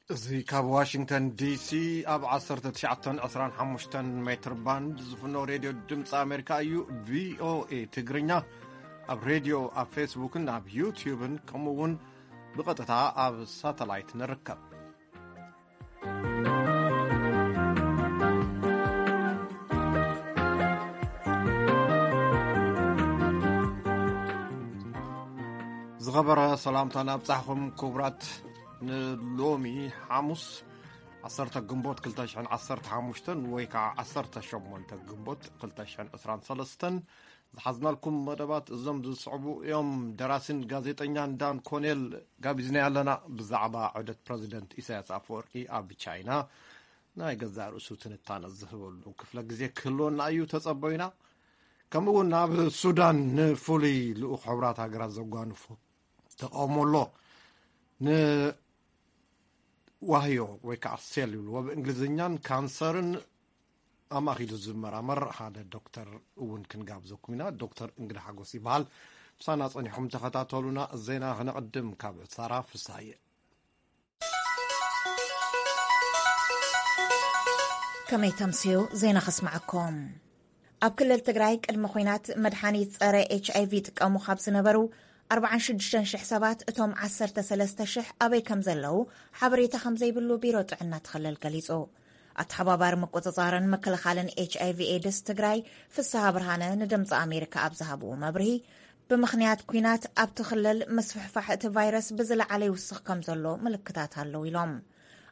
እዚ ካብ ዋሽንግተን ዲሲ ኣብ ዓሰርተ ትሽዓተ ዕስራን ሓሙሽተን ሜትር ባንድ ዝፍኖ ሬድዮ ድምፂ ኣሜሪካ እዩ። ቪኦኤ ትግርኛ ኣብ ሬድዮ፣ ኣብ ፌስቡክን ኣብ ዩትዩብን፣ ከምኡ እውን ብቐጥታ ኣብ ሳተላይት ንርከብ። ዝኸበረ ሰላምታና ኣብጻሕኹም ክቡራት። ንሎሚ ሓሙስ ዓሰርተ ግንቦት ክልተ ሽሕን ዓሰርተ ሓሙሽተን ወይ ከዓ ዓሰርተ ሸሞንተ ግንቦት ክልተ ሽሕን ዕስራን ሰለስተን ዝሓዝናልኩም መደባት እዞም ዝስዕቡ እዮም። ደራሲን ጋዜጠኛን ዳን ኮኔል ጋቢዝና ኣለና። ብዛዕባ ዑደት ፕረዚደንት ኢሳያስ ኣፈወርቂ ኣብ ቻይና ናይ ገዛእ ርእሱ ትንታነ ዝህበሉ ክፍለ ግዜ ክህልወና እዩ፣ ተጸበዩና። ከምኡ እውን ኣብ ሱዳን ንፍሉይ ልኡኽ ሕቡራት ሃገራት ዘጓንፎ ተቃውሞ ኣሎ። ንዋህዮ ወይ ከዓ ሴል ይብልዎ ብእንግሊዝኛን ካንሰርን ኣማኺሉ ዝመራመር ሓደ ዶክተር እውን ክንጋብዘኩም ኢና። ዶክተር እንግዳ ሓጎስ ይበሃል። ምሳና ጸኒሕኩም ተኸታተሉና። ዜና ክነቕድም ካብ ሳራ ፍሳየ። ከመይ ተምስዩ? ዜና ከስምዓኩም። ኣብ ክልል ትግራይ ቅድሚ ኹናት መድሓኒት ጸረ ኤች ኣይ ቪ ይጥቀሙ ካብ ዝነበሩ ኣርባዓን ሽዱሽተን ሽሕ ሰባት እቶም ዓሰርተ ሰለስተ ሽሕ ኣበይ ከም ዘለዉ ሓበሬታ ከም ዘይብሉ ቢሮ ጥዕና እቲ ክልል ገሊጹ። ኣተሓባባሪ ምቁጽጻርን ምክልኻልን ኤች ኣይ ቪ ኤድስ ትግራይ ፍስሃ ብርሃነ ንድምፂ ኣሜሪካ ኣብ ዝሃብዎ መብርሂ፣ ብምኽንያት ኲናት ኣብቲ ክልል ምስፍሕፋሕ እቲ ቫይረስ ብዝለዓለ ይውስኽ ከም ዘሎ ምልክታት ኣለዉ ኢሎም።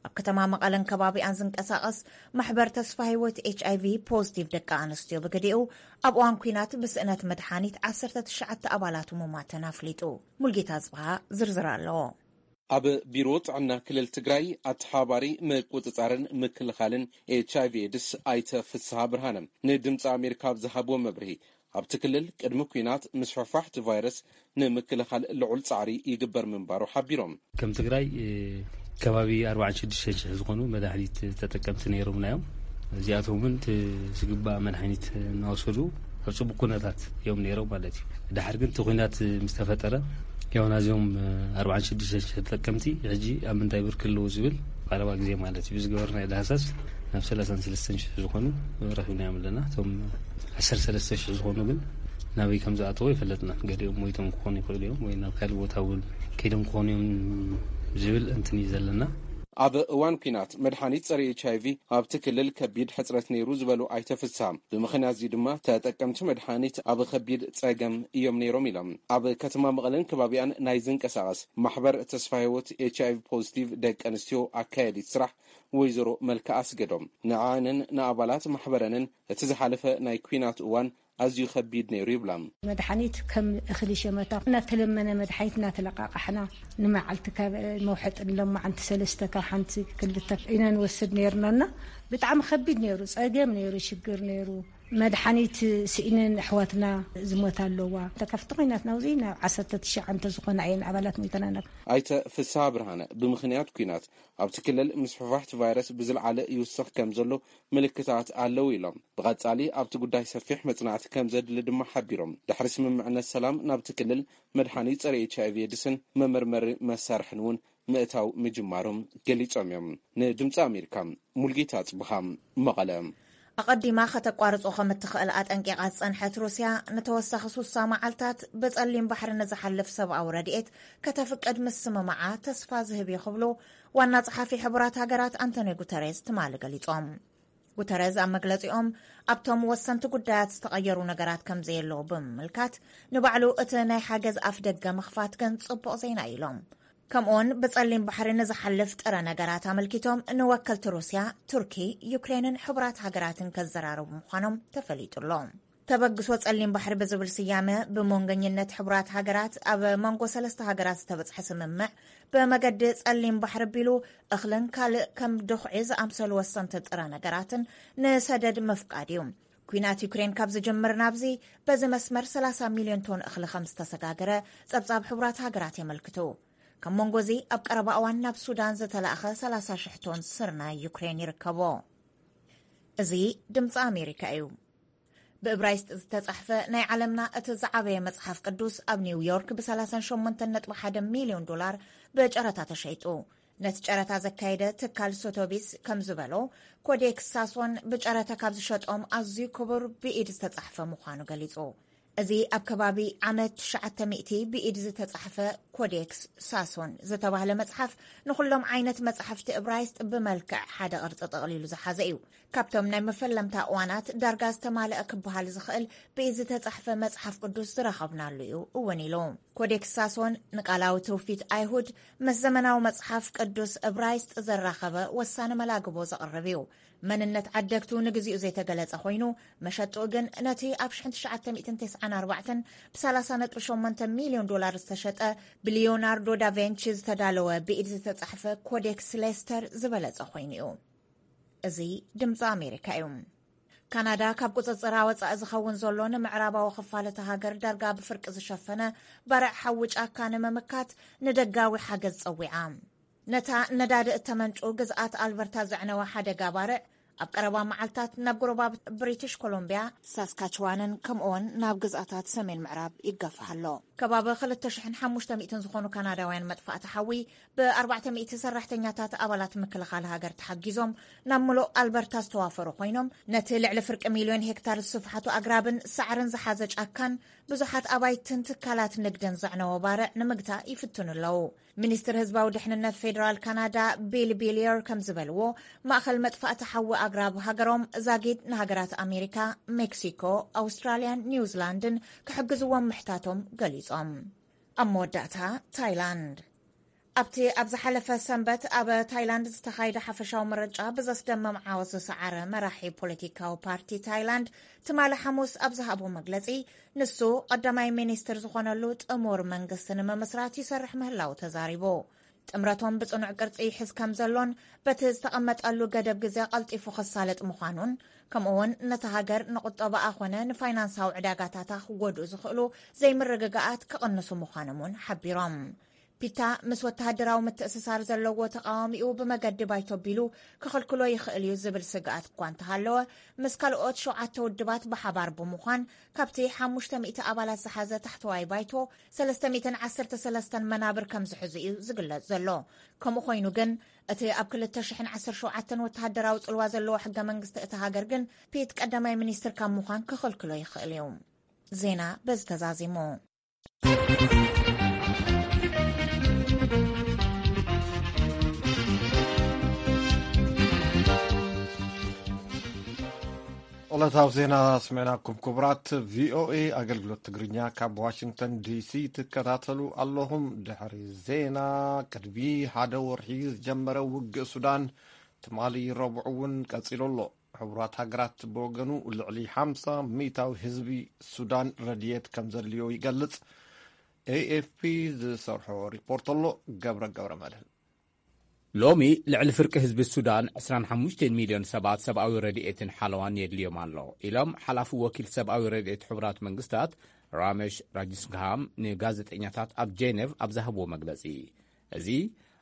ኣብ ከተማ መቐለን ከባቢኣን ዝንቀሳቐስ ማሕበር ተስፋ ህይወት ኤች ኣይ ቪ ፖዚቲቭ ደቂ ኣንስትዮ ብግዲኡ ኣብ እዋን ኲናት ብስእነት መድሓኒት ዓሰርተ ትሽዓተ ኣባላቱ ምሟተን ኣፍሊጡ። ሙልጌታ ጽብሃ ዝርዝር ኣለዎ። ኣብ ቢሮ ጥዕና ክልል ትግራይ ኣተሓባሪ ምቁፅፃርን ምክልኻልን ኤች ኣይ ቪ ኤድስ ኣይተ ፍስሃ ብርሃነ ንድምፂ ኣሜሪካ ኣብ ዝሃብዎ መብርሂ፣ ኣብቲ ክልል ቅድሚ ኲናት ምስፍሕፋሕ እቲ ቫይረስ ንምክልኻል ልዑል ፃዕሪ ይግበር ምንባሩ ሓቢሮም። ከም ትግራይ፣ እ፣ ከባቢ ኣርባዓን ሽዱሽተን ሽሕ ዝኾኑ መድሓኒት ተጠቀምቲ ነይሮምና እዮም። እዚኣቶም እውን እቲ ዝግባእ መድሓኒት እናወሰዱ ኣብ ፅቡቅ ኩነታት እዮም ነይሮም ማለት እዩ። ድሓር ግን እቲ ኲናት ምስ ተፈጠረ፣ ያው ናዚኦም፣ እ፣ ኣርባዓን ሽዱሽተን ሽሕ ተጠቀምቲ ሕጂ ኣብ ምንታይ ብርኪ ኣለዉ ዝብል ቀረባ ግዜ ማለት እዩ ብዝገበርናዮ ዳህሳስ ናብ ሰላሳን ሰለስተን ሽሕ ዝኾኑ ረኺብናዮም ኣለና። እቶም ዓሰርተ ሰለስተ ሽሕ ዝኾኑ ግን ናበይ ከም ዝኣተዉ ኣይፈለጥናን። ገሊኦም ሞይቶም ክኾኑ ይኽእሉ እዮም ወይ ናብ ካልእ ቦታ እውን ከይዶም ክኾኑ እዮም ዝብል እንትን እዩ ዘለና። ኣብ እዋን ኲናት መድሓኒት ጸረ ኤች ኣይ ቪ ኣብቲ ክልል ከቢድ ሕጽረት ነይሩ ዝበሉ ኣይተ ፍስሃ፣ ብምኽንያት እዚ ድማ ተጠቀምቲ መድሓኒት ኣብ ከቢድ ጸገም እዮም ነይሮም ኢሎም። ኣብ ከተማ መቐለን ከባቢኣን ናይ ዝንቀሳቐስ ማሕበር ተስፋ ህይወት ኤች ኣይ ቪ ፖዚቲቭ ደቂ ኣንስትዮ ኣካያዲት ስራሕ ወይዘሮ መልክኣ ኣስገዶም፣ ንዓንን ንኣባላት ማሕበረንን እቲ ዝሓለፈ ናይ ኲናት እዋን ኣዝዩ ከቢድ ነይሩ ይብላ። መድሓኒት ከም እኽሊ ሸመታ እናተለመነ መድሓኒት እናተለቃቃሕና ንመዓልቲ ካብ መውሐጢ ንለማዓንቲ ሰለስተ ካብ ሓንቲ ክልተ ኢና ንወስድ ነይርናና። ብጣዕሚ ከቢድ ነይሩ፣ ጸገም ነይሩ፣ ሽግር ነይሩ። መድሓኒት ስኢነን ኣሕዋትና ዝሞታ ኣለዋ። ካብቲ ኲናት ናብዚ ናብ ዓሰርተ ትሽዓተ ዝኾና እየን ኣባላት ሞይተናና። ኣይተ ፍስሃ ብርሃነ ብምኽንያት ኲናት ኣብቲ ክልል ምስፍሕፋሕ እቲ ቫይረስ ብዝለዓለ ይውስኽ ከም ዘሎ ምልክታት ኣለዉ ኢሎም። ብቐጻሊ ኣብቲ ጉዳይ ሰፊሕ መጽናዕቲ ከም ዘድሊ ድማ ሓቢሮም። ድሕሪ ስምምዕነት ሰላም ናብቲ ክልል መድሓኒት ጸረ ኤች ኣይ ቪ ኤድስን መመርመሪ መሳርሕን እውን ምእታው ምጅማሮም ገሊጾም እዮም። ንድምፂ ኣሜሪካ ሙልጌታ ጽብሃ መቐለ። ኣቐዲማ ከተቋርጾ ከም እትኽእል ኣጠንቂቓ ዝጸንሐት ሩስያ፣ ንተወሳኺ ሱሳ መዓልታት ብጸሊም ባሕሪ ንዝሓልፍ ሰብኣዊ ረድኤት ከተፍቅድ ምስምማዓ ተስፋ ዝህብ እዩ ክብሉ ዋና ጸሓፊ ሕቡራት ሃገራት ኣንቶኒዮ ጉተሬዝ ትማሊ ገሊጾም። ጉተሬዝ ኣብ መግለጺኦም፣ ኣብቶም ወሰንቲ ጉዳያት ዝተቐየሩ ነገራት ከም ዘየለዉ ብምምልካት፣ ንባዕሉ እቲ ናይ ሓገዝ ኣፍ ደገ ምኽፋት ግን ጽቡቕ ዜና እዩ ኢሎም። ከምኡውን ብጸሊም ባሕሪ ንዝሓልፍ ጥረ ነገራት ኣመልኪቶም ንወከልቲ ሩስያ፣ ቱርኪ፣ ዩክሬንን ሕቡራት ሃገራትን ከዘራረቡ ምዃኖም ተፈሊጡ ኣሎ። ተበግሶ ጸሊም ባሕሪ ብዝብል ስያመ ብመንገኝነት ሕቡራት ሃገራት ኣብ መንጎ ሰለስተ ሃገራት ዝተበጽሐ ስምምዕ፣ ብመገዲ ጸሊም ባሕሪ ኣቢሉ እኽልን ካልእ ከም ድኹዒ ዝኣምሰሉ ወሰንቲ ጥረ ነገራትን ንሰደድ ምፍቃድ እዩ። ኲናት ዩክሬን ካብ ዝጅምር ናብዚ በዚ መስመር ሰላሳ ሚልዮን ቶን እኽሊ ከም ዝተሰጋገረ ጸብጻብ ሕቡራት ሃገራት የመልክቱ። ካብ መንጎ እዚ ኣብ ቀረባ እዋን ናብ ሱዳን ዝተላእኸ ሰላሳ ሽሕ ቶን ስርናይ ዩክሬን ይርከቦ። እዚ ድምፂ ኣሜሪካ እዩ። ብእብራይስጥ ዝተጻሕፈ ናይ ዓለምና እቲ ዝዓበየ መጽሓፍ ቅዱስ ኣብ ኒውዮርክ ብ ሰላሳ ሸሞንተ ነጥቢ ሓደ ሚልዮን ዶላር ብጨረታ ተሸይጡ። ነቲ ጨረታ ዘካየደ ትካል ሶቶቢስ ከም ዝበሎ፣ ኮዴክስ ሳሶን ብጨረታ ካብ ዝሸጦም ኣዝዩ ክቡር ብኢድ ዝተጻሕፈ ምዃኑ ገሊጹ። እዚ ኣብ ከባቢ ዓመት ትሽዓተ ሚእቲ ብኢድ ዝተጻሕፈ ኮዴክስ ሳሶን ዝተባህለ መጽሓፍ፣ ንኹሎም ዓይነት መጻሕፍቲ እብራይስጥ ብመልክዕ ሓደ ቅርጺ ጠቕሊሉ ዝሓዘ እዩ። ካብቶም ናይ መፈለምታ እዋናት ዳርጋ ዝተማልአ ክበሃል ዝኽእል ብኢድ ዝተጻሕፈ መጽሓፍ ቅዱስ ዝረኸብናሉ እዩ እውን ኢሉ። ኮዴክስ ሳሶን ንቃላዊ ትውፊት ኣይሁድ ምስ ዘመናዊ መጽሓፍ ቅዱስ እብራይስጥ ዘራኸበ ወሳኒ መላግቦ ዘቕርብ እዩ። መንነት ዓደግቱ ንግዚኡ ዘይተገለጸ ኮይኑ፣ መሸጥኡ ግን ነቲ ኣብ ሸሕን ትሽዓተ ሚእትን ተስዓን ኣርባዕተን ብ ሰላሳ ነጥቢ ሸሞንተ ሚልዮን ዶላር ዝተሸጠ ብሊዮናርዶ ዳቬንቺ ዝተዳለወ ብኢድ ዝተጻሕፈ ኮዴክስ ሌስተር ዝበለጸ ኮይኑ እዩ። እዚ ድምፂ ኣሜሪካ እዩ። ካናዳ ካብ ቁፅፅር ኣወፃኢ ዝኸውን ዘሎ ንምዕራባዊ ክፋል እታ ሃገር ዳርጋ ብፍርቂ ዝሸፈነ ባርዕ ሓዊ ጫካ ንምምካት ንደጋዊ ሓገዝ ፀዊዓ። ነታ ነዳዲ እተመንጩ ግዝኣት ኣልበርታ ዘዕነወ ሓደጋ ባርዕ ኣብ ቀረባ መዓልታት ናብ ጎረባብቲ ብሪቲሽ ኮሎምቢያ፣ ሳስካችዋንን ከምኡውን ናብ ግዝኣታት ሰሜን ምዕራብ ይጋፋሕ ኣሎ። ከባቢ ክልተ ሽሕን ሓሙሽተ ሚእትን ዝኾኑ ካናዳውያን መጥፋእቲ ሓዊ ብ ኣርባዕተ ሚእቲ ሰራሕተኛታት ኣባላት ምክልኻል ሃገር ተሓጊዞም ናብ ምሉእ ኣልበርታ ዝተዋፈሩ ኮይኖም፣ ነቲ ልዕሊ ፍርቂ ሚልዮን ሄክታር ዝስፍሓቱ ኣግራብን ሳዕርን ዝሓዘ ጫካን ብዙሓት ኣባይትን ትካላት ንግድን ዘዕነወ ባርዕ ንምግታእ ይፍትኑ ኣለዉ። ሚኒስትር ህዝባዊ ድሕንነት ፌደራል ካናዳ ቢል ቢልየር ከም ዝበልዎ፣ ማእኸል መጥፋእቲ ሓዊ ኣግራብ ሃገሮም ዛጊድ ንሃገራት ኣሜሪካ፣ ሜክሲኮ፣ ኣውስትራልያን ኒውዚላንድን ክሕግዝዎም ምሕታቶም ገሊጾም። ኣብ መወዳእታ፣ ታይላንድ። ኣብቲ ኣብ ዝሓለፈ ሰንበት ኣብ ታይላንድ ዝተኻየደ ሓፈሻዊ ምርጫ ብዘስደምም ዓወት ዝሰዓረ መራሒ ፖለቲካዊ ፓርቲ ታይላንድ፣ ትማሊ ሓሙስ ኣብ ዝሃቦ መግለጺ፣ ንሱ ቀዳማይ ሚኒስትር ዝኾነሉ ጥሙር መንግስቲ ንምምስራት ይሰርሕ ምህላው ተዛሪቡ። ጥምረቶም ብጽኑዕ ቅርጺ ይሕዝ ከም ዘሎን በቲ ዝተቐመጠሉ ገደብ ግዜ ቀልጢፉ ክሳለጥ ምዃኑን፣ ከምኡ'ውን ነታ ሃገር ንቁጠባኣ ኾነ ንፋይናንሳዊ ዕዳጋታታ ክጎድኡ ዝኽእሉ ዘይምርግጋኣት ክቕንሱ ምዃኖም እውን ሓቢሮም። ፒታ ምስ ወተሃደራዊ ምትእስሳር ዘለዎ ተቃዋሚኡ ብመገዲ ባይቶ ቢሉ ክኽልክሎ ይኽእል እዩ ዝብል ስግኣት እኳ እንተሃለወ፣ ምስ ካልኦት ሸውዓተ ውድባት ብሓባር ብምዃን ካብቲ ሓሙሽተ ሚእቲ ኣባላት ዝሓዘ ታሕተዋይ ባይቶ ሰለስተ ሚእትን ዓሰርተ ሰለስተን መናብር ከም ዝሕዙ እዩ ዝግለጽ ዘሎ። ከምኡ ኮይኑ ግን፣ እቲ ኣብ ክልተ ሽሕን ዓሰርተ ሸውዓተን ወተሃደራዊ ጽልዋ ዘለዎ ሕገ መንግስቲ እታ ሃገር ግን፣ ፒት ቀዳማይ ሚኒስትር ካብ ምዃን ክኽልክሎ ይኽእል እዩ። ዜና በዚ ተዛዚሙ። ዕለታዊ ዜና ስሚዕናኩም ክቡራት። ቪኦኤ ኣገልግሎት ትግርኛ ካብ ዋሽንግተን ዲሲ ትከታተሉ ኣለኹም። ድሕሪ ዜና፣ ቅድሚ ሓደ ወርሒ ዝጀመረ ውግእ ሱዳን ትማሊ ረቡዕ እውን ቀጺሉ ኣሎ። ሕቡራት ሃገራት ብወገኑ ልዕሊ ሓምሳ ሚእታዊ ህዝቢ ሱዳን ረድኤት ከም ዘድልዮ ይገልጽ። ኤኤፍፒ ዝሰርሖ ሪፖርት ኣሎ። ገብረ ገብረ መድህን። ሎሚ ልዕሊ ፍርቂ ህዝቢ ሱዳን ዕስራን ሓሙሽተን ሚልዮን ሰባት ሰብኣዊ ረድኤትን ሓለዋን የድልዮም ኣሎ ኢሎም ሓላፊ ወኪል ሰብኣዊ ረድኤት ሕቡራት መንግስታት ራመሽ ራጅስግሃም ንጋዜጠኛታት ኣብ ጄኔቭ ኣብ ዝሃብዎ መግለጺ። እዚ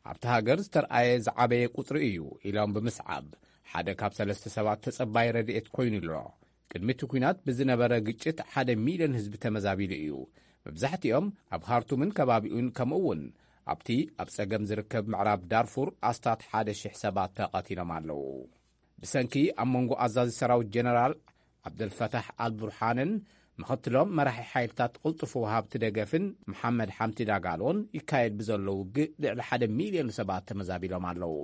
ኣብቲ ሃገር ዝተርኣየ ዝዓበየ ቁጽሪ እዩ ኢሎም ብምስዓብ፣ ሓደ ካብ ሰለስተ ሰባት ተጸባይ ረድኤት ኮይኑ ኣሎ። ቅድሚ እቲ ኲናት ብዝነበረ ግጭት ሓደ ሚልዮን ህዝቢ ተመዛቢሉ እዩ። መብዛሕትኦም ኣብ ኻርቱምን ከባቢኡን ከምኡ እውን ኣብቲ ኣብ ጸገም ዝርከብ ምዕራብ ዳርፉር ኣስታት ሓደ ሽሕ ሰባት ተቐቲሎም ኣለዉ። ብሰንኪ ኣብ መንጎ ኣዛዚ ሰራዊት ጀነራል ዓብደልፈታሕ ኣልቡርሓንን ምኽትሎም መራሒ ሓይልታት ቅልጡፍ ወሃብቲ ደገፍን መሓመድ ሓምቲ ዳጋሎን ይካየድ ብዘሎ ውግእ ልዕሊ ሓደ ሚልዮን ሰባት ተመዛቢሎም ኣለዉ።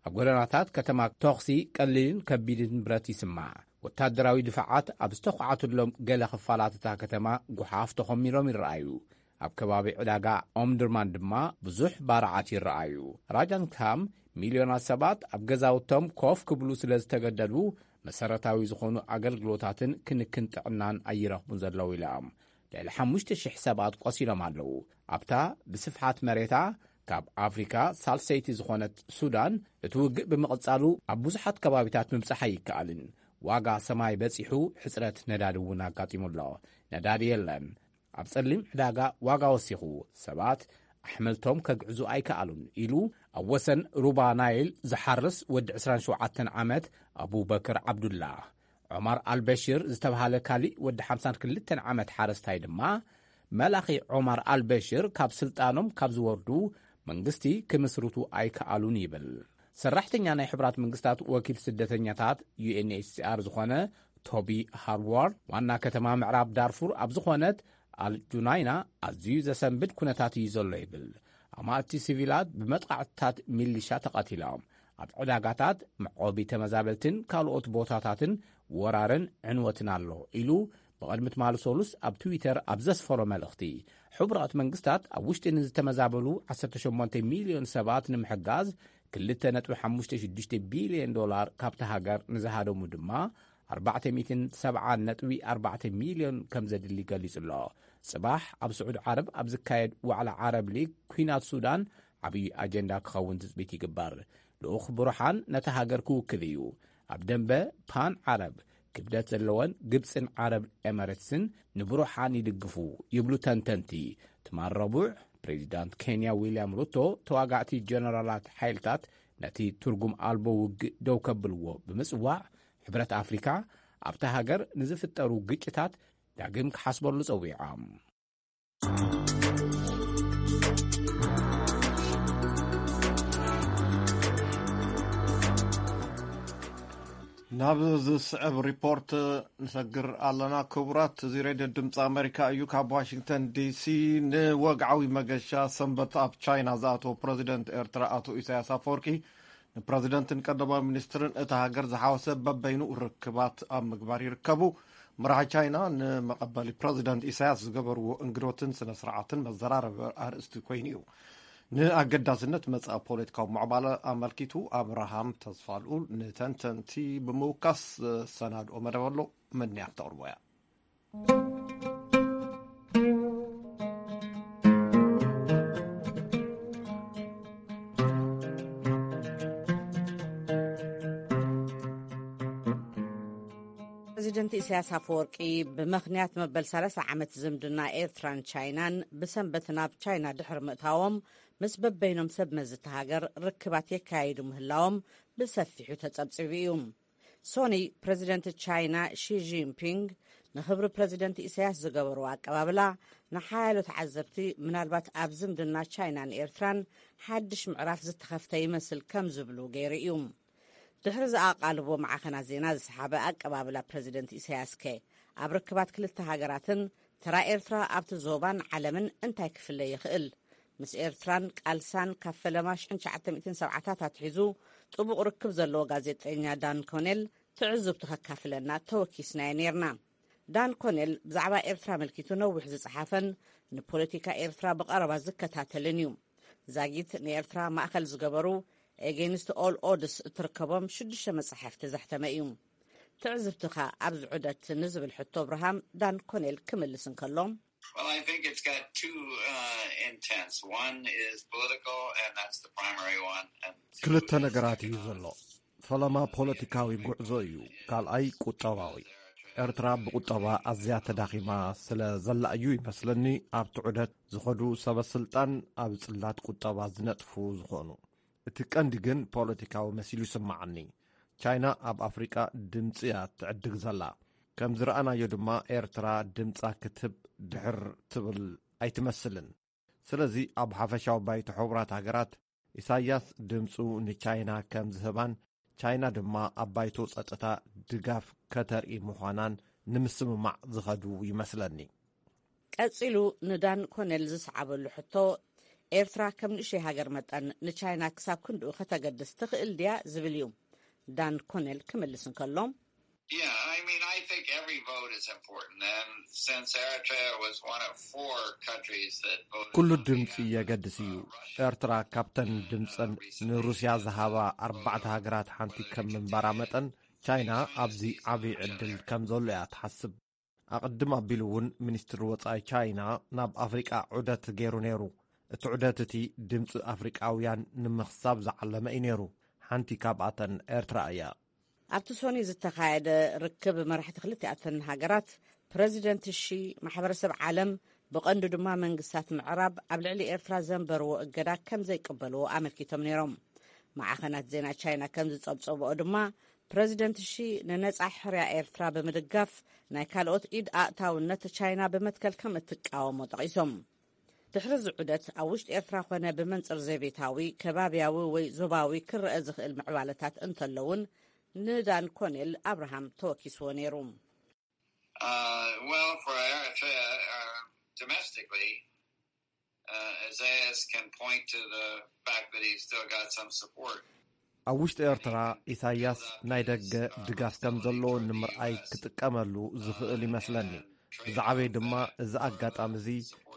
ኣብ ጎደናታት ከተማ ተኹሲ ቀሊልን ከቢድን ብረት ይስማዕ። ወታደራዊ ድፋዓት ኣብ ዝተኳዓቱሎም ገለ ክፋላት እታ ከተማ ጓሓፍ ተኾሚሮም ይረኣዩ። ኣብ ከባቢ ዕዳጋ ኦምድርማን ድማ ብዙሕ ባርዓት ይረኣዩ። ራጃን ካም ሚልዮናት ሰባት ኣብ ገዛውቶም ኮፍ ክብሉ ስለ ዝተገደዱ መሰረታዊ ዝኾኑ ኣገልግሎታትን ክንክን ጥዕናን ኣይረኽቡን ዘለዉ ኢሎም። ልዕሊ ሓሙሽተ ሽሕ ሰባት ቆሲሎም ኣለዉ። ኣብታ ብስፍሓት መሬታ ካብ ኣፍሪካ ሳልሰይቲ ዝኾነት ሱዳን እቲ ውግእ ብምቕጻሉ ኣብ ብዙሓት ከባቢታት ምብጻሕ ኣይከኣልን። ዋጋ ሰማይ በጺሑ ሕጽረት ነዳዲ እውን ኣጋጢሙ ኣሎ። ነዳዲ የለን። ኣብ ጸሊም ዕዳጋ ዋጋ ወሲኹ፣ ሰባት ኣሕምልቶም ከግዕዙ ኣይከኣሉን ኢሉ ኣብ ወሰን ሩባ ናይል ዝሓርስ ወዲ ዕስራን ሸውዓተን ዓመት ኣቡበክር ዓብዱላ። ዑማር ኣልበሽር ዝተብሃለ ካሊእ ወዲ ሓምሳን ክልተን ዓመት ሓረስታይ ድማ መላኺ ዑማር ኣልበሽር ካብ ስልጣኖም ካብ ዝወርዱ መንግስቲ ክምስርቱ ኣይከኣሉን ይብል። ሰራሕተኛ ናይ ሕቡራት መንግስታት ወኪል ስደተኛታት ዩ ኤን ኤች ሲ ኣር ዝኾነ ቶቢ ሃርዋርድ ዋና ከተማ ምዕራብ ዳርፉር ኣብ ዝኾነት ኣልጁናይና ኣዝዩ ዘሰንብድ ኩነታት እዩ ዘሎ ይብል። ኣማእቲ ሲቪላት ብመጥቃዕትታት ሚሊሻ ተቐቲሎም። ኣብ ዕዳጋታት መዕቆቢ ተመዛበልትን ካልኦት ቦታታትን ወራርን ዕንወትን ኣሎ ኢሉ ብቐድሚ ትማሊ ሰሉስ ኣብ ትዊተር ኣብ ዘስፈሮ መልእኽቲ። ሕቡራት መንግስታት ኣብ ውሽጢ ንዝተመዛበሉ ዓሰርተ ሸሞንተ ሚልዮን ሰባት ንምሕጋዝ ክልተ ነጥቢ ሓሙሽተ ሽዱሽተ ቢልዮን ዶላር ካብቲ ሃገር ንዝሃደሙ ድማ ኣርባዕተ ሚእትን ሰብዓን ነጥቢ ኣርባዕተ ሚልዮን ከም ዘድሊ ገሊጹ ኣሎ። ጽባሕ ኣብ ስዑድ ዓረብ ኣብ ዝካየድ ዋዕላ ዓረብ ሊግ ኩናት ሱዳን ዓብዪ ኣጀንዳ ክኸውን ትጽቢት ይግበር። ልኡኽ ብሩሓን ነቲ ሃገር ክውክል እዩ። ኣብ ደንበ ፓን ዓረብ ክብደት ዘለወን ግብጽን ዓረብ ኤመሬትስን ንብሩሓን ይድግፉ ይብሉ ተንተንቲ። ትማል ረቡዕ ፕሬዚዳንት ኬንያ ዊልያም ሩቶ ተዋጋእቲ ጀነራላት ሓይልታት ነቲ ትርጉም ኣልቦ ውግእ ደው ከብልዎ ብምጽዋዕ ሕብረት ኣፍሪካ ኣብታ ሃገር ንዝፍጠሩ ግጭታት ዳግም ክሓስበሉ ጸዊዖም። ናብ ዝስዕብ ሪፖርት ንሰግር ኣለና። ክቡራት፣ እዚ ሬድዮ ድምፂ ኣሜሪካ እዩ። ካብ ዋሽንግተን ዲሲ ንወግዓዊ መገሻ ሰንበት ኣብ ቻይና ዝኣተወ ፕረዚደንት ኤርትራ ኣቶ ኢሳያስ ኣፈወርቂ ንፕረዚደንትን ቀዳማዊ ሚኒስትርን እታ ሃገር ዝሓወሰ በበይኑ ርክባት ኣብ ምግባር ይርከቡ። መራሒ ቻይና ንመቐበሊ ፕረዚደንት ኢሳያስ ዝገበርዎ እንግዶትን ስነ ስርዓትን መዘራረቢ ኣርእስቲ ኮይኑ እዩ። ንኣገዳስነት መጻኢ ፖለቲካዊ ምዕባለ ኣመልኪቱ ኣብርሃም ተስፋልኡል ንተንተንቲ ብምውካስ ዘሰናድኦ መደብ ኣሎ። መን እያ ክተቕርቦ እያ? ፕረዚደንት ኢሳያስ ኣፈወርቂ ብምኽንያት መበል ሰላሳ ዓመት ዝምድና ኤርትራን ቻይናን ብሰንበት ናብ ቻይና ድሕሪ ምእታዎም ምስ በበይኖም ሰብ መዚ እታ ሃገር ርክባት የካይዱ ምህላዎም ብሰፊሑ ተጸብጺቡ እዩ። ሶኒ ፕረዚደንት ቻይና ሺ ጂንፒንግ ንኽብሪ ፕረዚደንት ኢሳያስ ዝገበርዎ ኣቀባብላ ንሓያሎ ተዓዘብቲ ምናልባት ኣብ ዝምድና ቻይናን ኤርትራን ሓድሽ ምዕራፍ ዝተኸፍተ ይመስል ከም ዝብሉ ገይሩ እዩ። ድሕሪ ዝኣቓልቦ ማዕኸናት ዜና ዝሰሓበ ኣቀባብላ ፕረዚደንት ኢሳያስከ ኣብ ርክባት ክልተ ሃገራትን ተራ ኤርትራ ኣብቲ ዞባን ዓለምን እንታይ ክፍለ ይኽእል? ምስ ኤርትራን ቃልሳን ካብ ፈለማ ሽሕን ትሽዓተ ሚእትን ሰብዓታት ኣትሒዙ ጥቡቕ ርክብ ዘለዎ ጋዜጠኛ ዳን ኮኔል ትዕዝብቱ ከካፍለና ተወኪስናዮ ኔርና። ዳን ኮኔል ብዛዕባ ኤርትራ ኣመልኪቱ ነዊሕ ዝጸሓፈን ንፖለቲካ ኤርትራ ብቐረባ ዝከታተልን እዩ። ዛጊት ንኤርትራ ማእከል ዝገበሩ ኤጌንስት ኦል ኦድስ እትርከቦም ሽዱሽተ መጻሕፍቲ ዘሕተመ እዩ። ትዕዝብትኻ ኣብዚ ዑደት ንዝብል ሕቶ ኣብርሃም ዳን ኮኔል ክምልስ እንከሎ፣ Well, I think it's got two uh, intents. One is political, and that's the primary one. And ክልተ ነገራት እዩ ዘሎ። ፈለማ ፖለቲካዊ ጉዕዞ እዩ፣ ካልኣይ ቁጠባዊ። ኤርትራ ብቁጠባ ኣዝያ ተዳኺማ ስለ ዘላ እዩ ይመስለኒ ኣብቲ ዑደት ዝኸዱ ሰበ ስልጣን ኣብ ጽላት ቁጠባ ዝነጥፉ ዝኾኑ። እቲ ቀንዲ ግን ፖለቲካዊ መሲሉ ይስምዓኒ። ቻይና ኣብ ኣፍሪቃ ድምጺ እያ ትዕድግ ዘላ። ከም ዝረኣናዮ ድማ ኤርትራ ድምጻ ክትህብ ድሕር ትብል ኣይትመስልን። ስለዚ ኣብ ሓፈሻዊ ባይቶ ሕቡራት ሃገራት ኢሳያስ ድምጹ ንቻይና ከም ዝህባን ቻይና ድማ ኣብ ባይቶ ጸጥታ ድጋፍ ከተርኢ ምዃናን ንምስምማዕ ዝኸዱ ይመስለኒ። ቀጺሉ ንዳን ኮኔል ዝሰዓበሉ ሕቶ፣ ኤርትራ ከም ንእሽተይ ሃገር መጠን ንቻይና ክሳብ ክንድኡ ከተገድስ ትኽእል ድያ ዝብል እዩ። ዳን ኮኔል ክምልስ እንከሎ፣ Yeah, I mean, I think every vote is important. And since Eritrea was one of four countries that voted ኩሉ on the ድምፂ የገድስ እዩ። ኤርትራ ካብተን ድምፀን ንሩስያ ዝሃባ ኣርባዕተ ሃገራት ሓንቲ ከም ምንባራ መጠን ቻይና ኣብዚ ዓብዪ ዕድል ከም ዘሎ እያ ትሓስብ። ኣቕድም ኣቢሉ እውን ሚኒስትሪ ወፃኢ ቻይና ናብ ኣፍሪቃ ዑደት ገይሩ ነይሩ። እቲ ዑደት እቲ ድምፂ ኣፍሪቃውያን ንምኽሳብ ዝዓለመ እዩ ነይሩ። ሓንቲ ካብኣተን ኤርትራ እያ። ኣብቲ ሶኒ ዝተኻየደ ርክብ መራሕቲ ክልቲኣተን ሃገራት ፕረዚደንት ሺ ማሕበረሰብ ዓለም ብቐንዱ ድማ መንግስታት ምዕራብ ኣብ ልዕሊ ኤርትራ ዘንበርዎ እገዳ ከም ዘይቅበልዎ ኣመልኪቶም ነይሮም። ማዕኸናት ዜና ቻይና ከም ዝጸብጸብኦ ድማ፣ ፕረዚደንት ሺ ንነጻ ሕርያ ኤርትራ ብምድጋፍ፣ ናይ ካልኦት ኢድ ኣእታውነት ቻይና ብመትከል ከም እትቃወሞ ጠቒሶም። ድሕሪ እዚ ዑደት፣ ኣብ ውሽጢ ኤርትራ ኮነ ብመንጽር ዘቤታዊ፣ ከባብያዊ ወይ ዞባዊ ክረአ ዝኽእል ምዕባለታት እንተለውን፣ ንዳን ኮኔል ኣብርሃም ተወኪስዎ ነይሩ። Uh, well, for Eritrea, uh, domestically, uh, Isaias can point to the fact that he's still got some support. ኣብ ውሽጢ ኤርትራ ኢሳያስ ናይ ደገ ድጋፍ ከም ዘለዎ ንምርኣይ ክጥቀመሉ ዝኽእል ይመስለኒ። ብዛዕባይ ድማ፣ እዚ ኣጋጣሚ እዚ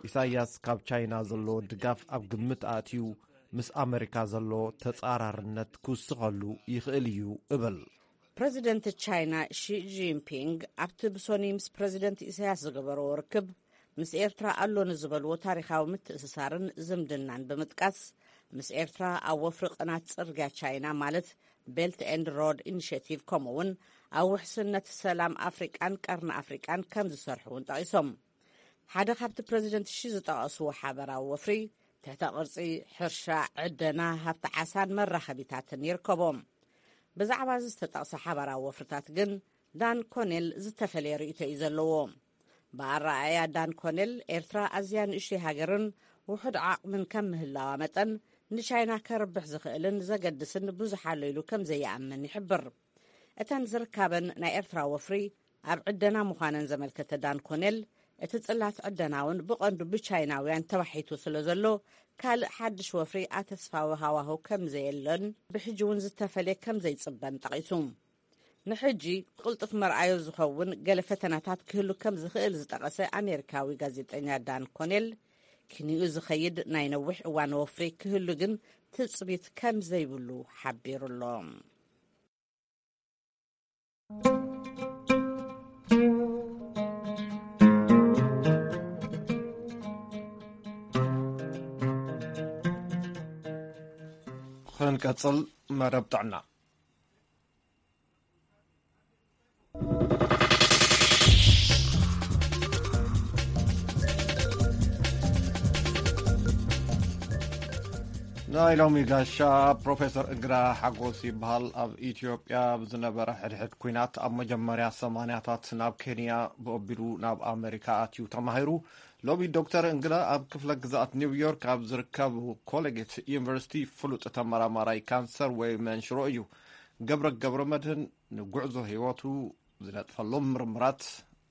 ኢሳያስ ካብ ቻይና ዘለዎ ድጋፍ ኣብ ግምት ኣእትዩ፣ ምስ ኣመሪካ ዘሎ ተጻራርነት ክውስኸሉ ይኽእል እዩ እብል። ፕረዚደንት ቻይና ሺ ጂንፒንግ ኣብቲ ብሶኒ ምስ ፕረዚደንት ኢሳያስ ዝገበርዎ ርክብ፣ ምስ ኤርትራ ኣሎ ንዝበልዎ ታሪኻዊ ምትእስሳርን ዝምድናን ብምጥቃስ፣ ምስ ኤርትራ ኣብ ወፍሪ ቅናት ጽርግያ ቻይና፣ ማለት ቤልት ኤንድ ሮድ ኢኒሽቲቭ፣ ከምኡ እውን ኣብ ውሕስነት ሰላም ኣፍሪቃን ቀርኒ ኣፍሪቃን ከም ዝሰርሑ እውን ጠቒሶም። ሓደ ካብቲ ፕረዚደንት ሺ ዝጠቐስዎ ሓበራዊ ወፍሪ፣ ትሕተ ቅርጺ፣ ሕርሻ፣ ዕደና፣ ሃብቲ ዓሳን መራኸቢታትን ይርከቦም። ብዛዕባ እዚ ዝተጠቕሰ ሓበራዊ ወፍርታት ግን ዳን ኮኔል ዝተፈለየ ርእይቶ እዩ ዘለዎ። ብኣረኣእያ ዳን ኮኔል፣ ኤርትራ ኣዝያ ንእሽተይ ሃገርን ውሑድ ዓቕምን ከም ምህላዋ መጠን፣ ንቻይና ከርብሕ ዝኽእልን ዘገድስን ብዙሕ ኣሎ ኢሉ ከም ዘይኣምን ይሕብር። እተን ዝርካበን ናይ ኤርትራ ወፍሪ ኣብ ዕደና ምዃነን ዘመልከተ ዳን ኮኔል፣ እቲ ጽላት ዕደና እውን ብቐንዱ ብቻይናውያን ተባሒቱ ስለ ዘሎ፣ ካልእ ሓድሽ ወፍሪ ኣተስፋዊ ሃዋህው ከም ዘየሎን ብሕጂ እውን ዝተፈልየ ከም ዘይጽበን ጠቒሱ። ንሕጂ ቅልጡፍ መርኣዮ ዝኸውን ገለ ፈተናታት ክህሉ ከም ዝኽእል ዝጠቐሰ ኣሜሪካዊ ጋዜጠኛ ዳን ኮኔል፣ ክንዩ ዝኸይድ ናይ ነዊሕ እዋን ወፍሪ ክህሉ ግን ትጽቢት ከም ዘይብሉ ሓቢሩ ኣሎ። ክንቀጽል መደብ ጥዕና። ናይ ሎሚ ጋሻ ፕሮፌሰር እንግዳ ሓጎስ ይበሃል። ኣብ ኢትዮጵያ ብዝነበረ ሕድሕድ ኲናት ኣብ መጀመርያ ሰማንያታት ናብ ኬንያ ብኦቢሉ ናብ ኣመሪካ ኣትዩ ተማሂሩ። ሎሚ ዶክተር እንግዳ ኣብ ክፍለ ግዝኣት ኒውዮርክ ኣብ ዝርከብ ኮሌጌት ዩኒቨርሲቲ ፍሉጥ ተመራማራይ ካንሰር ወይ መንሽሮ እዩ። ገብረ ገብረ መድህን ንጉዕዞ ህይወቱ ዝነጥፈሎም ምርምራት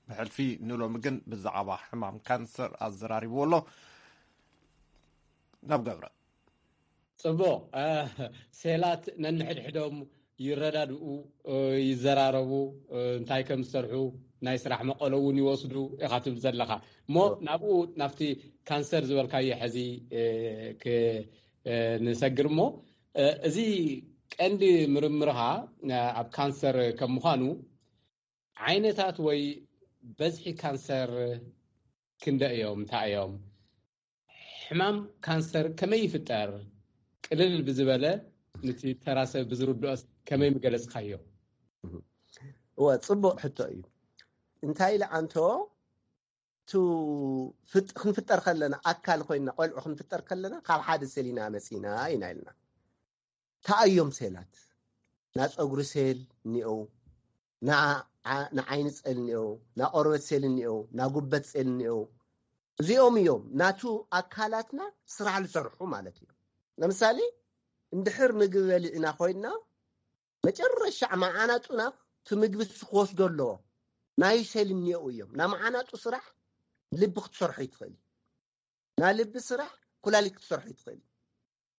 ብሕልፊ ንሎሚ ግን ብዛዕባ ሕማም ካንሰር ኣዘራሪብዎ ኣሎ። ናብ ገብረ። ጽቡቕ። ሴላት ነንሕድሕዶም ይረዳድኡ፣ ይዘራረቡ፣ እንታይ ከም ዝሰርሑ ናይ ስራሕ መቐሎ እውን ይወስዱ ኢኻ ትብል ዘለኻ። እሞ ናብኡ ናብቲ ካንሰር ዝበልካዮ ሕዚ ንሰግር እሞ፣ እዚ ቀንዲ ምርምርኻ ኣብ ካንሰር ከም ምዃኑ ዓይነታት ወይ በዝሒ ካንሰር ክንደ እዮም? እንታይ እዮም? ሕማም ካንሰር ከመይ ይፍጠር? ቅልል ብዝበለ ንቲ ተራ ሰብ ብዝርድኦስ ከመይ ምገለጽካዮ? እወ፣ ጽቡቕ ሕቶ እዩ። እንታይ ኢለ ኣንቶ፣ ቱ ፍጥ- ክንፍጠር ከለና፣ ኣካል ኮይና ቆልዑ ክንፍጠር ከለና ካብ ሓደ ሴል ኢና መጺና ኢና ኢልና። እንታይ እዮም ሴላት? ና ጸጉሪ ሴል እኒኦ፣ ና ዓ- ና ዓይኒ ሴል እኒኦ፣ ና ቆርበት ሴል እኒኦ፣ ና ጉበት ሴል እኒኦ። እዚኦም እዮም ናቱ ኣካላትና ስራሕ ዝሰርሑ ማለት እዩ። ለምሳሌ፣ እንድሕር ምግቢ በሊዕና ኮይንና፣ መጨረሻ መዓናጡና እቲ ምግቢ እሱ ክወስዶ ኣለዎ። ናይ ሴል እኒኦ እዮም። ና መዓናጡ ስራሕ ልቢ ክትሰርሖ ይትኽእል እዩ። ና ልቢ ስራሕ ኩላሊት ክትሰርሖ ይትኽእል እዩ።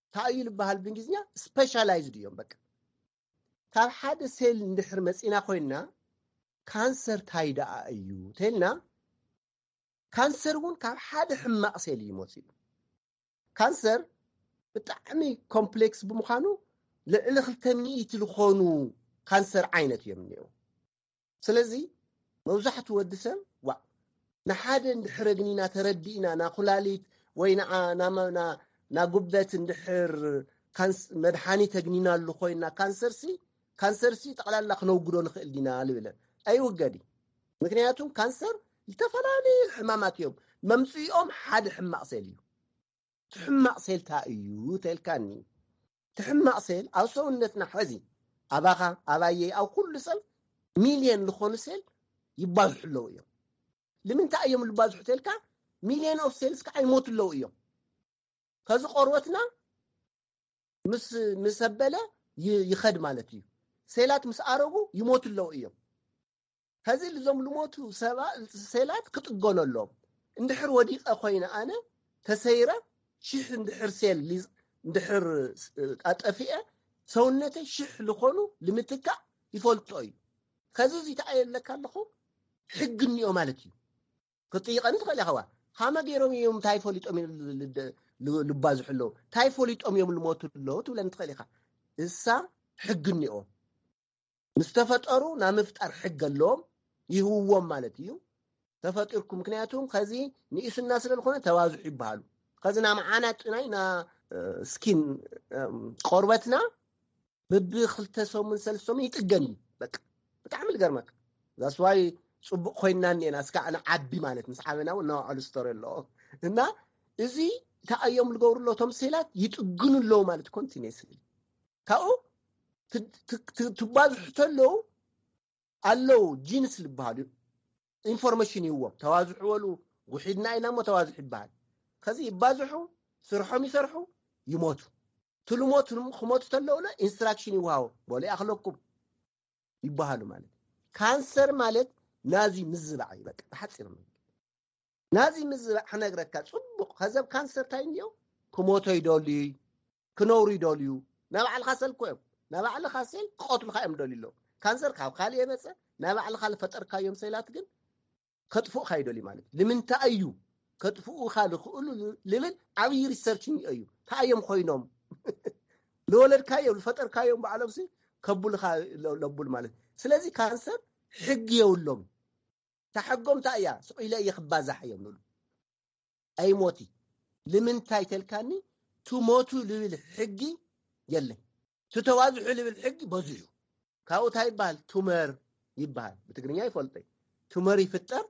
እንታይ እዩ ዝበሃል ብእንግሊዝኛ? ስፔሻላይዝድ እዮም። በቃ፣ ካብ ሓደ ሴል እንድሕር መጺና ኮይንና፣ ካንሰር ታይ ደኣ እዩ ተልና፣ ካንሰር እውን ካብ ሓደ ሕማቕ ሴል እዩ መፂኡ። ካንሰር ብጣዕሚ ኮምፕሌክስ ብምዃኑ፣ ልዕሊ ክልተ ሚእቲ ዝኾኑ ካንሰር ዓይነት እዮም እኒአው። ስለዚ መብዛሕቱ ወዲ ሰብ፣ ዋ፣ ንሓደ እንድሕር ኣግኒና፣ ተረዲእና፣ ና ኩላሊት ወይ ንዓ- ና መ- ና- ና ጉበት እንድሕር ካንስ- መድሓኒት ኣግኒናሉ ኮይና፣ ካንሰርሲ ካንሰርሲ ጠቕላላ ክነውግዶ ንኽእል ዲና ልብለ። ኣይውገድ እዩ። ምክንያቱም ካንሰር ዝተፈላለዩ ሕማማት እዮም። መምፅኦም ሓደ ሕማቕ ሴል እዩ። ትሕማቕ ሴል ታ እዩ ተልካኒ። ትሕማቕ ሴል ኣብ ሰውነትና ሐዚ ኣባኻ ኣባየይ ኣብ ኩሉ ሰብ ሚልዮን ዝኾኑ ሴል ይባዝሑ ኣለዉ እዮም። ንምንታይ እዮም ዝባዝሑ ተልካ? ሚልዮን ኦፍ ሴልስ ከዓ ይሞቱ ኣለዉ እዮም። ከዚ ቆርበትና ምስ ምስ ኣበለ ይ- ይኸድ ማለት እዩ። ሴላት ምስ ኣረጉ ይሞቱ ኣለዉ እዮም። ከዚ ልዞም ልሞቱ ሰባ ሴላት ክጥገኑ ኣለዎም። እንድሕር ወዲቐ ኮይነ ኣነ ተሰይረ ሽሕ እንድሕር ሴል ሊዝ- እንድሕር ስ- ኣጠፊኤ ሰውነተይ ሽሕ ልኾኑ ልምትካእ ይፈልጦ እዩ። ከዚ እዚ ተኣየለካ ኣለኹ ሕጊ እኒኦ ማለት እዩ። ክትጥይቐኒ ትኽእል ኢኻ። ዋ ሃመ ገይሮም እዮም እንታይ ፈሊጦም እዮም ል- ል- ል- ልባዝሑ ኣለዉ እንታይ ፈሊጦም እዮም ልሞቱ ኣለዉ ትብለኒ ትኽእል ኢኻ። እሳ ሕጊ እኒኦ ምስ ተፈጠሩ ናብ ምፍጣር ሕጊ ኣለዎም ይህውዎም ማለት እዩ። ተፈጢርኩም ምክንያቱ ከዚ ንኢስና ስለ ዝኾነ ተባዝሑ ይበሃሉ። ከዚ ና መዓና ጥናይ ና ስኪን ቆርበትና ብብክልተ ሰሙን ሰለስተ ሰሙን ይጥገን እዩ። በቃ ብጣዕሚ ልገርመካ ዛስዋይ ፅቡቅ ኮይና እኒአና እስካ ንዓቢ ማለት ምስ ዓበና እውን እናውዓሉ ስቶሪ ኣለዎ እና እዚ እንታይ እዮም ዝገብሩ ኣለዉ እቶም ሴላት ይጥግኑ ኣለዉ ማለት ኮንቲኒስሊ ካብኡ ት- ት- ት- ትባዝሑ ተለዉ ኣለዉ ጂንስ ዝበሃሉ ኢንፎርሜሽን ይህዎም ተባዝሑ በሉ ውሒድና ኢና እሞ ተባዝሑ ይበሃል ከዚ ይባዝሑ ስርሖም ይሰርሑ ይሞቱ ትልሞት ክሞቱ ተለውለ ኢንስትራክሽን ይወሃቦ በሉ ይኣኽለኩም ይበሃሉ ማለት ካንሰር ማለት ናዚ ምዝባዕ እዩ በቃ ብሓፂር መንገዲ ናዚ ምዝባዕ ክነግረካ ፅቡቅ ከዘብ ካንሰር እንታይ እንዲዮ ክሞቶ ይደልዩ ክነብሩ ይደልዩ ናይ ባዕልካ ሰል ኮ እዮም ናይ ባዕልካ ሴል ክቀትሉካ እዮም ደልዩ ኣለዉ ካንሰር ካብ ካልእ የመፀ ናይ ባዕልካ ዝፈጠርካዮም ሴላት ግን ከጥፍኡካ ይደልዩ ማለት እዩ ንምንታይ እዩ ከጥፍኡካ ዝኽእሉ ልብል ዓብዪ ሪሰርች እኒኦ እዩ እንታይ እዮም ኮይኖም ዝወለድካዮም ዝፈጠርካዮም ባዕሎም ሲ ከብሉካ ለቡል ማለት እዩ ስለዚ ካንሰር ሕጊ የብሎም ታሕጎም እንታይ እያ ስቕ ኢለ እየ ክባዛሕ እዮም ንብሉ ኣይሞቲ ንምንታይ ተልካኒ ትሞቱ ልብል ሕጊ የለን ትተዋዝሑ ልብል ሕጊ በዙሑ ካብኡ እንታይ ይበሃል ቱመር ይበሃል ብትግርኛ ይፈልጠ ቱመር ይፍጠር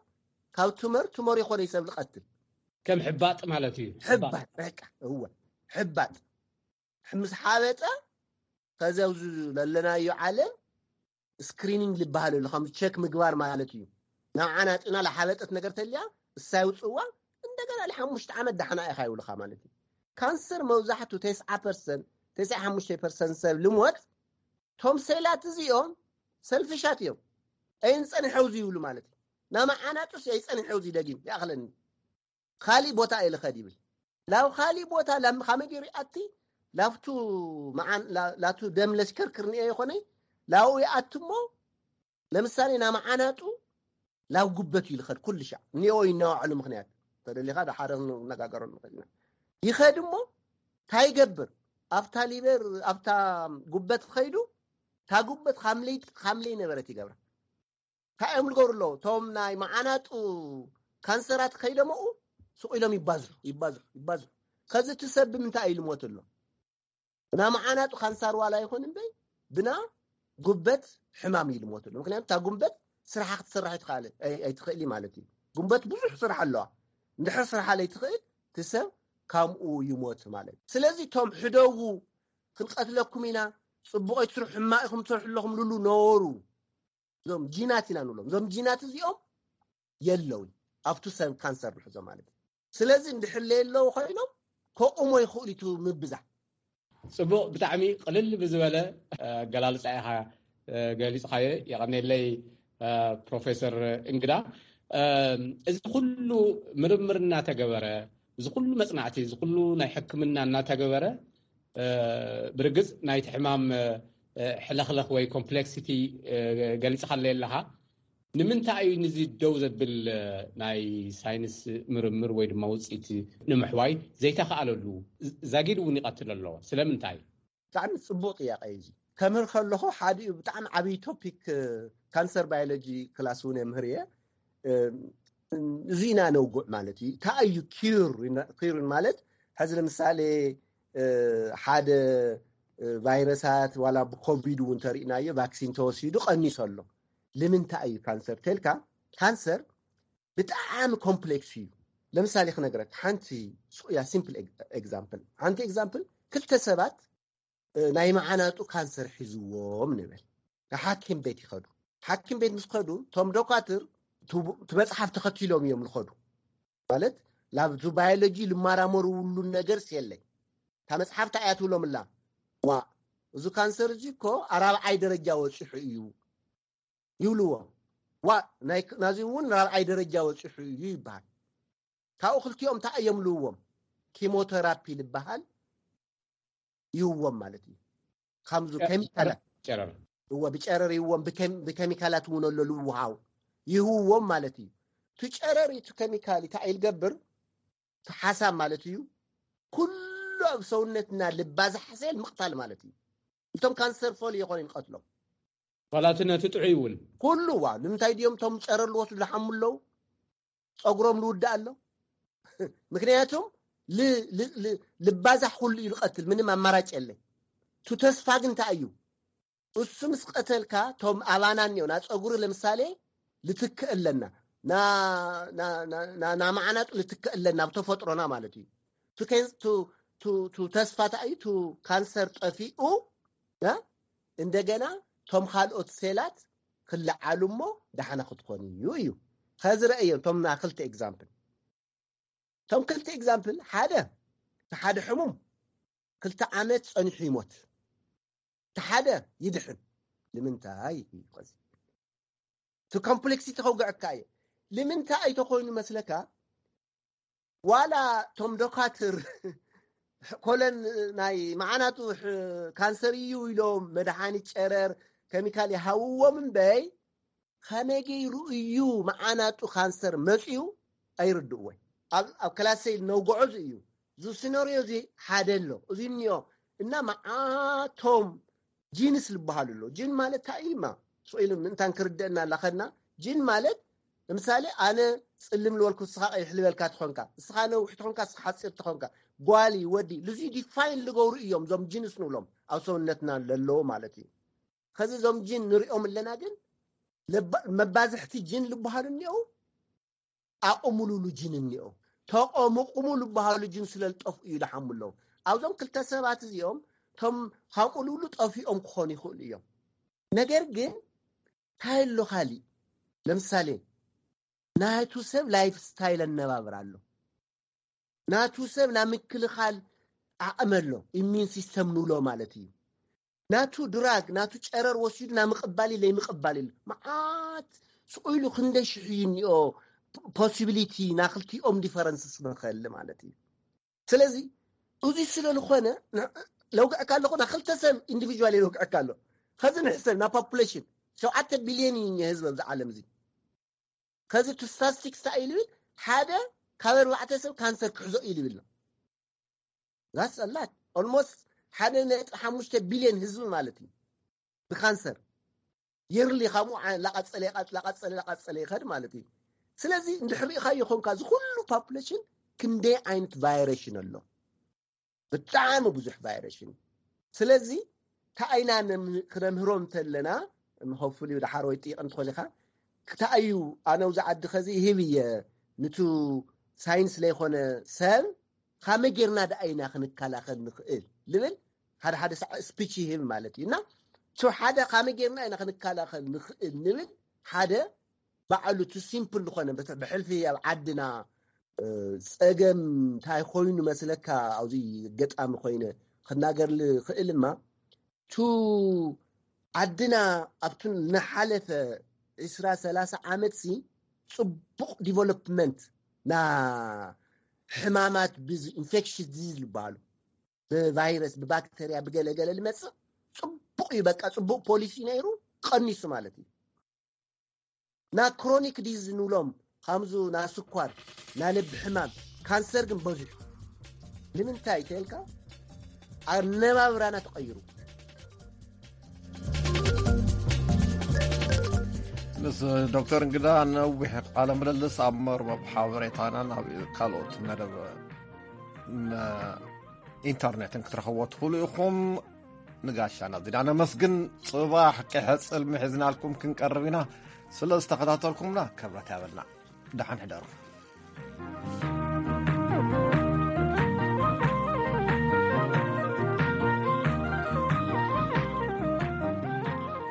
ካብ ቱመር ቱመር ይኾነ ይሰብ ዝቐትል ከም ሕባጥ ማለት እዩ ሕባጥ በቃ እወ ሕባጥ ምስ ሓበጠ ከዚ ኣብዚ ለለናዮ ዓለም ስክሪኒንግ ዝበሃል ኣሎ ከም ቸክ ምግባር ማለት እዩ ናብ ዓናጥና ለሓበጠት ነገር ተልያ እሳይ ውፅዋ እንደገና ለሓሙሽተ ዓመት ዳሕና ኢኻ ይብልኻ ማለት እዩ ካንሰር መብዛሕቱ ተስዓ ፐርሰንት ተስዓ ሓሙሽተ ፐርሰንት ሰብ ልሞት ቶም ሴላት እዚኦም ሰልፍሻት እዮም ኣይንፀንሐው ዝይብሉ ማለት እዩ ናመዓናጡስ ኣይፀንሐው ዝደጊም ይኣኽለኒ ካሊእ ቦታ እየ ልኸድ ይብል ላብ ካሊእ ቦታ ላም ካመይ ገይሩ ይኣቲ ላፍቱ መዓን ላ- ላቱ ደም ለሽከርክር ንኤ ይኾነ ላብኡ ይኣቲ እሞ ለምሳሌ ናመዓናጡ ላብ ጉበት እዩ ልኸድ ኩሉ ሻዕ እኒኦ ይናዋዕሉ ምክንያት ተደሊኻ ሓደ ክነጋገረሉ ንኽእል ኢና ይኸድ እሞ እንታይ ይገብር ኣብታ ሊበር ኣብታ ጉበት ከይዱ እታ ጉበት ካምለይ ካምለይ ነበረት ይገብራ እንታይ እዮም ዝገብሩ ኣለዉ እቶም ናይ መዓናጡ ካንሰራት ከይደመኡ ስቕ ኢሎም ይባዝሑ ይባዝሑ ይባዝሑ ከዚ እቲ ሰብ ብምንታይ እዩ ልሞት ኣሎ ብና መዓናጡ ካንሳር ዋላ ይኹን እምበይ ብና ጉበት ሕማም እዩ ልሞት ኣሎ ምክንያቱ እታ ጉንበት ስራሓ ክትስራሕ ኣይትኽእል ማለት እዩ ጉንበት ብዙሕ ስራሕ ኣለዋ እንድሕር ስራሓ ለይትኽእል እቲ ሰብ ካምኡ ይሞት ማለት እዩ ስለዚ እቶም ሕደጉ ክንቀትለኩም ኢና ፅቡቕ ኣይትስርሑ ሕማቕ ኢኹም ትሰርሑ ኣለኹም ልሉ ነበሩ እዞም ጂናት ኢና ንብሎም እዞም ጂናት እዚኦም የለውን ኣብቱ ሰብ ካንሰር ንሕዞ ማለት እዩ ስለዚ እንድሕር ለየለዉ ኮይኖም ከቑሞ ይኽእሉ እዩ ምብዛሕ ፅቡቕ ብጣዕሚ ቅልል ብዝበለ ኣገላልፃ ኢኻ ገሊፅኻዮ የቐኔለይ ፕሮፌሰር እንግዳ እዚ ኩሉ ምርምር እናተገበረ እዚ ኩሉ መፅናዕቲ እዚ ኩሉ ናይ ሕክምና እናተገበረ ብርግፅ ናይቲ ሕማም ሕለኽለኽ ወይ ኮምፕሌክሲቲ ገሊፅኻለይ ኣለኻ ንምንታይ እዩ ንዚ ደው ዘብል ናይ ሳይንስ ምርምር ወይ ድማ ውፅኢት ንምሕዋይ ዘይተኸኣለሉ ዛጊድ እውን ይቐትል ኣሎ ስለምንታይ ብጣዕሚ ፅቡቅ ጥያቄ እዩ ከምህር ከለኹ ሓዲኡ ብጣዕሚ ዓብዪ ቶፒክ ካንሰር ባዮሎጂ ክላስ እውን የምህር እየ እዚና ነውጉዕ ማለት እዩ እንታይ እዩ ኪር ኪር ማለት ሕዚ ለምሳሌ ሓደ ቫይረሳት ዋላ ብኮቪድ እውን ተሪእናዮ ቫክሲን ተወሲዱ ቀኒሶ ኣሎ ንምንታይ እዩ ካንሰር ተልካ ካንሰር ብጣዕሚ ኮምፕሌክስ እዩ ለምሳሌ ክነግረክ ሓንቲ ያ ሲምፕል ኤግዛምፕል ሓንቲ ኤግዛምፕል ክልተ ሰባት ናይ መዓናጡ ካንሰር ሒዝዎም ንብል። ሓኪም ቤት ይኸዱ። ሓኪም ቤት ምስ ከዱ ቶም ዶካትር እቲ መፅሓፍ ተኸቲሎም እዮም ዝኸዱ። ማለት ላብ ባዮሎጂ ልመራመሩ ውሉን ነገር የለይ። እታ መፅሓፍ እንታይ እያ ትብሎም ኣላ? ዋ፣ እዚ ካንሰር እዚ እኮ ኣራብዓይ ደረጃ ወፂሑ እዩ ይብልዎ። ዋ፣ ናዚ እውን ራብዓይ ደረጃ ወፂሑ እዩ ይበሃል። ካብኡ ክልቲኦም እንታይ እዮም ልዎም? ኪሞቴራፒ ዝበሃል ይህዎም ማለት እዩ። ከምዚ ኬሚካላት እዎ ብጨረር ይዎም ብኬሚካላት እውን ኣሎ ልውሃው ይህዎም ማለት እዩ። እቲ ጨረር እቲ ኬሚካል እንታይ ይገብር? እቲ ሓሳብ ማለት እዩ ኩሉ ኣብ ሰውነትና ልባዛሕ ሴል ምቕታል ማለት እዩ። እቶም ካንሰር ፎል የኾነ ንቀትሎም ዋላቲ ነቲ ጥዑይ እውን ኩሉ ዋ ንምንታይ ድዮም እቶም ጨረር ልወስዱ ዝሓሙ ኣለዉ? ፀጉሮም ልውዳእ ኣሎ። ምክንያቱም ልባዛሕ ኩሉ እዩ ዝቀትል፣ ምንም ኣማራጭ የለ። ቱ ተስፋ ግን እንታይ እዩ? እሱ ምስ ቀተልካ ቶም ኣባና እኒኦ ና ፀጉሪ ለምሳሌ ልትክእ ኣለና ና መዓናጡ ልትክእ ኣለና ብተፈጥሮና ማለት እዩ። ቱ ተስፋ እንታይ እዩ? ቱ ካንሰር ጠፊኡ እንደገና ቶም ካልኦት ሴላት ክልዓሉ እሞ ዳሕና ክትኾን እዩ እዩ። ከዚ ረእዮ ቶም ና ክልተ ኤግዛምፕል ቶም ክልተ ኤግዛምፕል ሓደ ሓደ ሕሙም ክልተ ዓመት ጸኒሑ ይሞት፣ ሓደ ይድሕን። ንምንታይ እዩ? እቲ ኮምፕሌክሲቲ ከውግዐካ እየ። ንምንታይ ተኮይኑ መስለካ? ዋላ ቶም ዶካትር ኮለን ናይ መዓናጡ ካንሰር እዩ ኢሎም መድሓኒት ጨረር ኬሚካል ይሃውዎም እምበይ ከመይ ገይሩ እዩ መዓናጡ ካንሰር መፅዩ ኣይርድእዎይ። ኣብ ክላሰይ ነውግዖ እዚ እዩ። እዚ ሲነርዮ እዚ ሓደ ኣሎ። እዚ እኒኦ እና መዓቶም ጂንስ ዝበሃሉ ኣሎ። ጂን ማለት እንታይ እዩ? ስኢሉ ምእንታን ክርደእና ላኸና ጂን ማለት ንምሳሌ ኣነ ፅልም ልበልኩ እስኻ ቀይሕ ልበልካ ትኾንካ፣ እስኻ ነውሕ ትኾንካ፣ እስኻ ሓፂር ትኾንካ፣ ጓሊ ወዲ ልዙ ዲፋይን ልገብሩ እዮም። እዞም ጂንስ ንብሎም ኣብ ሰውነትና ለለዎ ማለት እዩ። ከዚ እዞም ጂን ንሪኦም ኣለና ግን መባዝሕቲ ጂን ልበሃሉ እኒኦ ኣቕሙሉሉ ጅን እኒኦ ተቐምቕሙ ዝበሃሉ ጅን ስለ ዝጠፍኡ እዩ ዝሓሙ ኣለዉ። ኣብዞም ክልተ ሰባት እዚኦም ቶም ሃቁሉሉ ጠፊኦም ክኾኑ ይኽእሉ እዮም። ነገር ግን እንታይ ኣሎ ካሊእ? ለምሳሌ ናቱ ሰብ ላይፍ ስታይል ኣነባብር ኣሎ። ናቱ ሰብ ናይ ምክልኻል ዓቕሚ ኣሎ። ኢሚን ሲስተም ንብሎ ማለት እዩ። ናቱ ድራግ ናቱ ጨረር ወሲዱ ናይ ምቕባል ኢለ ይምቕባል ኢሉ መዓት ስቑ ኢሉ ክንደይ ሽሕ እዩ እኒኦ ፖሲቢሊቲ ናይ ክልቲኦም ዲፈረንስ ስበኸል ማለት እዩ። ስለዚ እዚ ስለ ዝኾነ ለውግዕካ ኣለኹ ና ክልተ ሰብ ኢንዲቪጁዋል ለውግዕካ ኣሎ። ከዚ ንሕሰብ ና ፖፑሌሽን ሸውዓተ ቢልዮን እዩ ህዝቢ ኣብዚ ዓለም እዚ። ከዚ እቲ ስታስቲክስ እንታይ እዩ ልብል ሓደ ካብ ኣርባዕተ ሰብ ካንሰር ክሕዞ እዩ ልብል ነው። ዛስ ኣላት ኦልሞስት ሓደ ነጥቢ ሓሙሽተ ቢልዮን ህዝቢ ማለት እዩ ብካንሰር የርሊ ካብኡ ላቃፀለ ላቃፀለ ላቃፀለ ይኸድ ማለት እዩ። ስለዚ እንድሕር ሪኢኻዮ ኾንካ እዚ ኩሉ ፖፑሌሽን ክንደይ ዓይነት ቫይረሽን ኣሎ? ብጣዕሚ ብዙሕ ቫይረሽን። ስለዚ ታኣይና ክነምህሮም እንተለና ሆፉሊ ዳሓር ወይ ጢቕ እንትኾን ኢኻ ክታኣዩ ኣነ ውዚ ዓዲ ኸዚ ይህብ እየ ንቱ ሳይንስ ለይኾነ ሰብ ካመ ጌርና ደኣ ኢና ክንከላኸል ንኽእል ልብል ሓደ ሓደ ሳዕ ስፒች ይህብ ማለት እዩ እና ቱ ሓደ ካመ ጌርና ኢና ክንከላኸል ንኽእል ንብል ሓደ ባዕሉ ቱ ሲምፕል ዝኾነ ብሕልፊ ኣብ ዓድና ፀገም እንታይ ኮይኑ መስለካ ኣብዚ ገጣሚ ኮይነ ክናገር ልኽእል እማ ቱ ዓድና ኣብቱ ንሓለፈ ዕስራ ሰላሳ ዓመት ሲ ፅቡቕ ዲቨሎፕመንት ና ሕማማት ብዚ ኢንፌክሽን ዲዚዝ ዝበሃሉ ብቫይረስ ብባክተርያ ብገለገለ ዝመፅእ ፅቡቕ እዩ። በቃ ፅቡቕ ፖሊሲ ነይሩ ቀኒሱ ማለት እዩ። ና ክሮኒክ ዲዝ ንብሎም ከምዙ ና ስኳር ና ልቢ ሕማም ካንሰር ግን በዚሑ ንምንታይ ተልካ ኣነባብራና ተቐይሩ። ምስ ዶክተር እንግዳ ነዊሕ ቃለ ምልልስ ኣብ መርበብ ሓበሬታና ናብ ካልኦት መደብ ኢንተርኔትን ክትረኽቦ ትኽእሉ ኢኹም። ንጋሻና እዚና ነመስግን። ጽባሕ ቅሐ ጽልሚ ሒዝናልኩም ክንቀርብ ኢና። ስለ ዝተኸታተልኩምና ክብረት ያበልና። ደሓን ሕደሩ።